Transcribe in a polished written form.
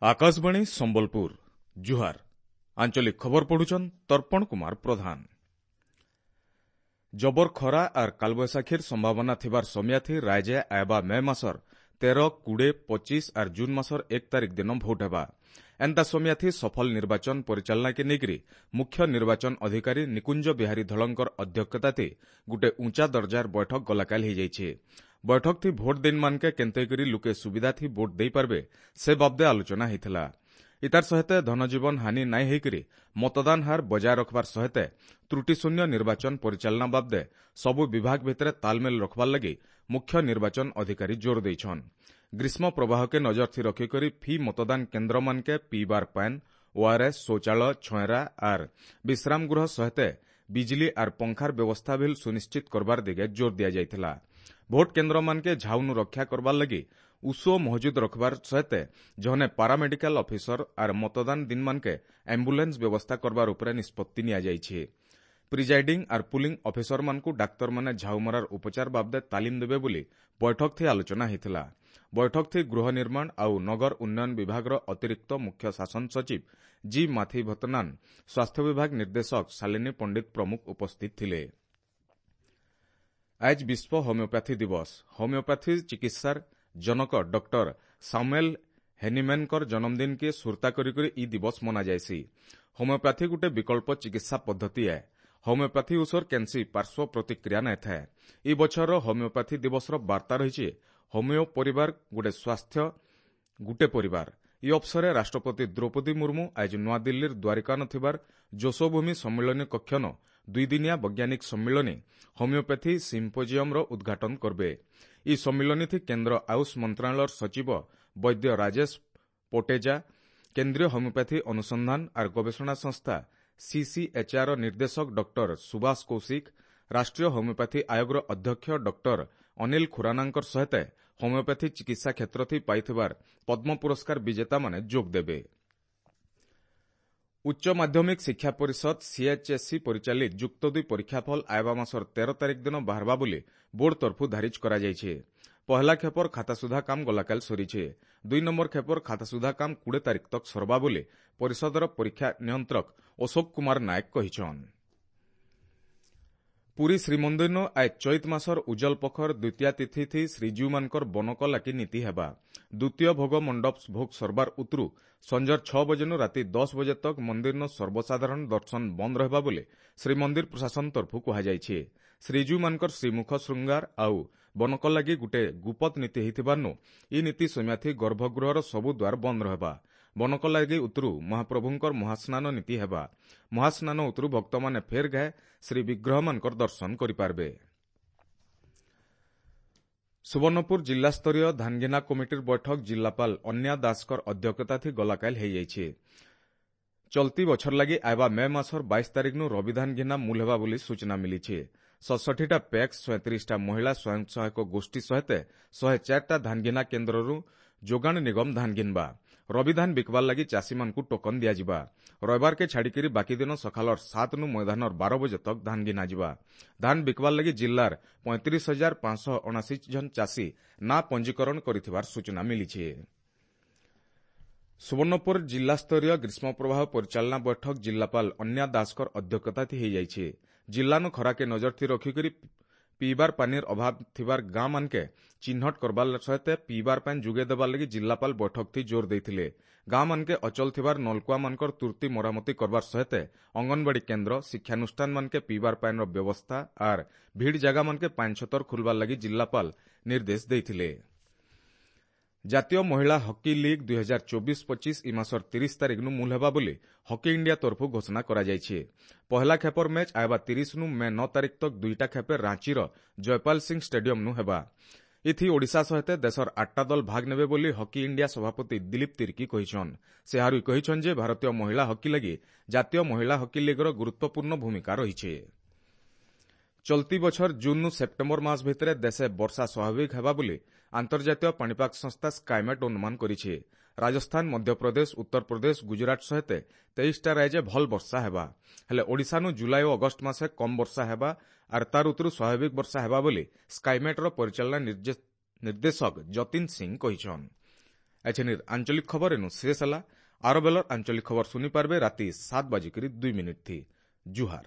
ଆକାଶବାଣୀ ସମ୍ବଲପୁର, ଜୁହାର। ଆଞ୍ଚଳିକ ଖବର ପଢୁଛନ୍ ତର୍ପଣ କୁମାର ପ୍ରଧାନ। ଜବର ଖରା ଆର୍ କାଲବୈଶାଖୀର ସମ୍ଭାବନା ଥିବାର ସମିୟାଥି ରାଇଜେ ଆଏବା ମେ ମାସର 13, 20, 25 ଆର୍ ଜୁନ୍ ମାସର 1 ତାରିଖ ଦିନ ଭୋଟ ହେବା। ଏନ୍ତା ସମିୟାଥି ସଫଳ ନିର୍ବାଚନ ପରିଚାଳନାକେ ନେଇକରି ମୁଖ୍ୟ ନିର୍ବାଚନ ଅଧିକାରୀ ନିକୁଞ୍ଜ ବିହାରୀ ଧଳଙ୍କର ଅଧ୍ୟକ୍ଷତାଥି ଗୁଟେ ଉଁଚା ଦର୍ଜାର ବୈଠକ ଗଲାକାଲି ହେଇଯାଇଛେ। ବୈଠକଥି ଭୋଟ ଦିନମାନକେ କେନ୍ତେକରି ଲୁକେ ସୁବିଧାଥି ଭୋଟ ଦେଇପାରବେ ସେ ବାବଦେ ଆଲୋଚନା ହେଇଥିଲା। ଇତାର ସହିତ ଧନଜୀବନ ହାନି ନାଇଁ ହେଇକରି ମତଦାନ ହାର ବଜାୟ ରଖବାର ସହିତ ତ୍ରୁଟିଶୂନ୍ୟ ନିର୍ବାଚନ ପରିଚାଳନା ବାବଦେ ସବୁ ବିଭାଗ ଭିତରେ ତାଲମେଲ ରଖବାର ଲାଗି ମୁଖ୍ୟ ନିର୍ବାଚନ ଅଧିକାରୀ ଜୋର ଦେଇଛନ୍। ଗ୍ରୀଷ୍ମ ପ୍ରବାହକେ ନଜରଥି ରଖିକରି ଫି ମତଦାନ କେନ୍ଦ୍ରମାନକେ ପିଇବାର ପାଏନ୍, ଓଆରଏସ୍, ଶୌଚାଳୟ, ଛଏରା ଆର୍ ବିଶ୍ରାମଗୃହ ସହିତ ବିଜଲି ଆର୍ ପଙ୍ଖାର ବ୍ୟବସ୍ଥା ଭିଲ୍ ସୁନିଶ୍ଚିତ କରବାର ଦିଗେ ଜୋର ଦିଆଯାଇଥିଲା। ଭୋଟ କେନ୍ଦ୍ରମାନକେ ଝାଉନୁ ରକ୍ଷା କରବାର ଲାଗି ଉଷୋ ମହଜୁଦ ରଖବାର ସହିତ ଜନେ ପାରାମେଡିକାଲ ଅଫିସର ଆର୍ ମତଦାନ ଦିନମାନକେ ଆମ୍ବୁଲାନ୍ସ ବ୍ୟବସ୍ଥା କରବାର ଉପରେ ନିଷ୍ପତ୍ତି ନିଆଯାଇଛି। ପ୍ରିଜାଇଡିଂ ଆର୍ ପୁଲିଂ ଅଫିସରମାନଙ୍କୁ ଡାକ୍ତରମାନେ ଝାଉମରାର ଉପଚାର ବାବଦେ ତାଲିମ ଦେବେ ବୋଲି ବୈଠକଥି ଆଲୋଚନା ହେଇଥିଲା। ବୈଠକଥି ଗୃହ ନିର୍ମାଣ ଆଉ ନଗର ଉନ୍ନୟନ ବିଭାଗର ଅତିରିକ୍ତ ମୁଖ୍ୟ ଶାସନ ସଚିବ ଜି ମାଥିଭତନାନ, ସ୍ୱାସ୍ଥ୍ୟ ବିଭାଗ ନିର୍ଦ୍ଦେଶକ ଶାଲିନୀ ପଣ୍ଡିତ ପ୍ରମୁଖ ଉପସ୍ଥିତ ଥିଲେ। ଆଜ ବିଶ୍ୱ ହୋମିଓପାଥି ଦିବସ। ହୋମିଓପାଥି ଚିକିତ୍ସାର ଜନକ ଡକ୍ଟର ସାମୁଏଲ ହେନିମେନଙ୍କର ଜନ୍ମଦିନକେ ସୁରତା କରି କରି ଇ ଦିବସ ମନାଯାଏସି। ହୋମିଓପାଥି ଗୁଟେ ବିକଳ୍ପ ଚିକିତ୍ସା ପଦ୍ଧତି ଏ। ହୋମିଓପାଥି ଔଷଧ କେନ୍ସି ପାର୍ଶ୍ୱ ପ୍ରତିକ୍ରିୟା ନାଇଁ ଥାଏ। ଇ ବଛରର ହୋମିଓପାଥି ଦିବସର ବାର୍ତ୍ତା ରହିଛି ହୋମିଓ ପରିବାର ଗୁଟେ ସ୍ୱାସ୍ଥ୍ୟ ଗୁଟେ ପରିବାର। ଇ ଅବସରରେ ରାଷ୍ଟ୍ରପତି ଦ୍ରୌପଦୀ ମୁର୍ମୁ ଆଜି ନୂଆଦିଲ୍ଲୀର ଦ୍ୱାରିକାନ ଥିବାର ଯଶୋଭୂମି ସମ୍ମିଳନୀ କକ୍ଷନ ଦୁଇଦିନିଆ ବୈଜ୍ଞାନିକ ସମ୍ମିଳନୀ ହୋମିଓପାଥି ସିମ୍ପୋଜିୟମର ଉଦ୍ଘାଟନ କରବେ। ଇ ସମ୍ମିଳନୀଥି କେନ୍ଦ୍ର ଆୟୁଷ ମନ୍ତ୍ରଣାଳୟର ସଚିବ ବୈଦ୍ୟ ରାଜେଶ ପୋଟେଜା, କେନ୍ଦ୍ରୀୟ ହୋମିଓପାଥି ଅନୁସନ୍ଧାନ ଆର୍ ଗବେଷଣା ସଂସ୍ଥା ସିସିଏଚ୍ଆର୍ ନିର୍ଦ୍ଦେଶକ ଡକ୍ଟର ସୁବାସ କୌଶିକ, ରାଷ୍ଟ୍ରୀୟ ହୋମିଓପାଥି ଆୟୋଗର ଅଧ୍ୟକ୍ଷ ଡକ୍ଟର ଅନିଲ ଖୁରାନାଙ୍କର ସହିତ ହୋମିଓପାଥି ଚିକିତ୍ସା କ୍ଷେତ୍ରଥି ପାଇଥିବାର ପଦ୍ମ ପୁରସ୍କାର ବିଜେତାମାନେ ଯୋଗ ଦେବେ। ଉଚ୍ଚ ମାଧ୍ୟମିକ ଶିକ୍ଷା ପରିଷଦ ସିଏଚ୍ଏସ୍ଇ ପରିଚାଳିତ ଯୁକ୍ତ ଦୁଇ ପରୀକ୍ଷାଫଳ ଆଇବା ମାସର 13 ତାରିଖ ଦିନ ବାହାରବା ବୋଲି ବୋର୍ଡ ତରଫୁ ଧାରିଜ କରାଯାଇଛି। ପହଲା ଖେପର ଖାତା ସୁଧା କାମ ଗଲାକାଲି ସରିছে। 2 ନମ୍ବର ଖେପର ଖାତା ସୁଧା କାମ 20 ତାରିଖ ତକ ସରବା ବୋଲି ପରିଷଦର ପରୀକ୍ଷା ନିୟନ୍ତ୍ରକ ଅଶୋକ କୁମାର ନାୟକ କହିଛନ୍। ପୁରୀ ଶ୍ରୀମନ୍ଦିରନୁ ଆଜ ଚୈତ ମାସର ଉଜଲ ପଖର ଦ୍ୱିତୀୟା ତିଥି ଶ୍ରୀଜୀଉମାନଙ୍କର ବନକଲାକି ନୀତି ହେବା। ଦ୍ୱିତୀୟ ଭୋଗ ମଣ୍ଡପ ଭୋଗ ସରବାର ଉତରୁ ସଞ୍ଜର 6 ବଜେନୁ ରାତି 10 ବଜେ ତକ ମନ୍ଦିରନ ସର୍ବସାଧାରଣ ଦର୍ଶନ ବନ୍ଦ ରହିବା ବୋଲି ଶ୍ରୀମନ୍ଦିର ପ୍ରଶାସନ ତରଫୁ କୁହାଯାଇଛି। ଶ୍ରୀଜୀଉମାନଙ୍କର ଶ୍ରୀମୁଖ ଶୃଙ୍ଗାର ଆଉ ବନକଲାଗି ଗୁଟେ ଗୁପତ ନୀତି ହେଇଥିବାରନୁ ଇ ନୀତି ସମିୟାଥି ଗର୍ଭଗୃହର ସବୁ ଦ୍ୱାର ବନ୍ଦ ରହିବା। ବନକଲାଗି ଉତରୁ ମହାପ୍ରଭୁଙ୍କର ମହାସ୍ନାନ ନୀତି ହେବା। ମହାସ୍ନାନ ଉତରୁ ଭକ୍ତମାନେ ଫେର ଗାଏ ଶ୍ରୀ ବିଗ୍ରହମାନଙ୍କର ଦର୍ଶନ କରିପାରିବେ। ସୁବର୍ଣ୍ଣପୁର ଜିଲ୍ଲାସ୍ତରୀୟ ଧାନଘିନା କମିଟିର ବୈଠକ ଜିଲ୍ଲାପାଳ ଅନ୍ୟା ଦାସଙ୍କର ଅଧ୍ୟକ୍ଷତାଥି ଗଲାକାଲି ହେଇଯାଇଛି। ଚଲତି ବଛର ଲାଗି ଆଇବା ମେ ମାସର 22 ତାରିଖନୁ ରବିଧାନ ଘିନା ମୂଲ ହେବା ବୋଲି ସୂଚନା ମିଳିଛି। 67ଟା ପ୍ୟାକ୍ସ, 37ଟା ମହିଳା ସ୍ୱୟଂ ସହାୟକ ଗୋଷ୍ଠୀ ସହିତ 104ଟା ଧାନଘିନା କେନ୍ଦ୍ରରୁ ଯୋଗାଣ ନିଗମ ଧାନ ଘିନବା। ରବିଧାନ ବିକବାର ଲାଗି ଚାଷୀମାନଙ୍କୁ ଟୋକନ ଦିଆଯିବା। ରବିବାରକେ ଛାଡ଼ିକରି ବାକି ଦିନ ସକାଳର 7ନୁ ମଇଦାନର 12 ବଜେ ତକ ଧାନ ଘିନାଯିବା। ଧାନ ବିକବାର ଲାଗି ଜିଲ୍ଲାର 35,579 ଜଣ ଚାଷୀ ନାଁ ପଞ୍ଜୀକରଣ କରିଥିବାର ସୂଚନା ମିଳିଛି। ସୁବର୍ଣ୍ଣପୁର ଜିଲ୍ଲାସ୍ତରୀୟ ଗ୍ରୀଷ୍ମ ପ୍ରବାହ ପରିଚାଳନା ବୈଠକ ଜିଲ୍ଲାପାଳ ଅନ୍ୟା ଦାସଙ୍କର ଅଧ୍ୟକ୍ଷତାଥି ହେଇଯାଇଛି। ଜିଲ୍ଲାନୁ ଖରାକେ ନଜରଥି ରଖିକରି ପିଇବାର ପାନିର ଅଭାବ ଥିବାର ଗାଁ ମାନକେ ଚିହ୍ନଟ କରବାର ସହିତ ପିଇବାର ପାନି ଯୋଗାଇ ଦେବାର ଲାଗି ଜିଲ୍ଲାପାଳ ବୈଠକଥି ଜୋର ଦେଇଥିଲେ। ଗାଁ ମାନକେ ଅଚଳ ଥିବାର ନଲକୁଆ ମାନଙ୍କର ତୁର୍ତି ମରାମତି କରବାର ସହିତ ଅଙ୍ଗନବାଡି କେନ୍ଦ୍ର, ଶିକ୍ଷାନୁଷ୍ଠାନ ମାନକେ ପିଇବାର ପାନିର ବ୍ୟବସ୍ଥା ଆର୍ ଭିଡ଼ ଜାଗା ମାନକେ ପାନି ଛତର ଖୋଲବାର ଲାଗି ଜିଲ୍ଲାପାଳ ନିର୍ଦ୍ଦେଶ ଦେଇଥିଲେ। ଜାତୀୟ ମହିଳା ହକି ଲିଗ୍ 2024-25 ଇ ମାସର 30 ତାରିଖନୁ ମୂଲ ହେବା ବୋଲି ହକି ଇଣ୍ଡିଆ ତରଫୁ ଘୋଷଣା କରାଯାଇଛି। ପହଲା ଖେପର ମ୍ୟାଚ୍ ଆଇବା 30ନୁ ମେ 9 ତାରିଖ ତକ ଦୁଇଟା ଖେପେ ରାଞ୍ଚିର ଜୟପାଲ ସିଂ ଷ୍ଟାଡିୟମନୁ ହେବା। ଇଥି ଓଡ଼ିଶା ସହିତ ଦେଶର 8ଟା ଦଳ ଭାଗ ନେବେ ବୋଲି ହକି ଇଣ୍ଡିଆ ସଭାପତି ଦିଲୀପ ତିର୍କୀ କହିଛନ୍। ସେ ଆହୁରି କହିଛନ୍ ଯେ ଭାରତୀୟ ମହିଳା ହକି ଲାଗି ଜାତୀୟ ମହିଳା ହକି ଲିଗ୍ର ଗୁରୁତ୍ୱପୂର୍ଣ୍ଣ ଭୂମିକା ରହିଛି। ଚଲତି ବଛର ଜୁନ୍ନୁ ସେପ୍ଟେମ୍ବର ମାସ ଭିତରେ ଦେଶେ ବର୍ଷା ସ୍ୱାଭାବିକ ହେବା ବୋଲି ଆନ୍ତର୍ଜାତୀୟ ପାଣିପାଗ ସଂସ୍ଥା ସ୍କାଇମେଟ୍ ଅନୁମାନ କରିଛି। ରାଜସ୍ଥାନ, ମଧ୍ୟପ୍ରଦେଶ, ଉତ୍ତରପ୍ରଦେଶ, ଗୁଜରାଟ ସହିତ 23ଟା ରାଜ୍ୟ ଭଲ ବର୍ଷା ହେବା। ହେଲେ ଓଡ଼ିଶାନୁ ଜୁଲାଇ ଓ ଅଗଷ୍ଟ ମାସେ କମ୍ ବର୍ଷା ହେବା ଆର୍ ତାର ଉତରୁ ସ୍ୱାଭାବିକ ବର୍ଷା ହେବା ବୋଲି ସ୍କାଇମେଟ୍ର ପରିଚାଳନା ନିର୍ଦ୍ଦେଶକ ଯତୀନ ସିଂ କହିଛନ୍। ଏଛେନିର୍ ଆଞ୍ଚଳିକ ଖବର ଏନୁ ଶେଷ ହେଲା। ଆର ବେଲର ଆଞ୍ଚଳିକ ଖବର ଶୁନି ପାରବେ ରାତି 7:02 ଥି। ଜୁହାର।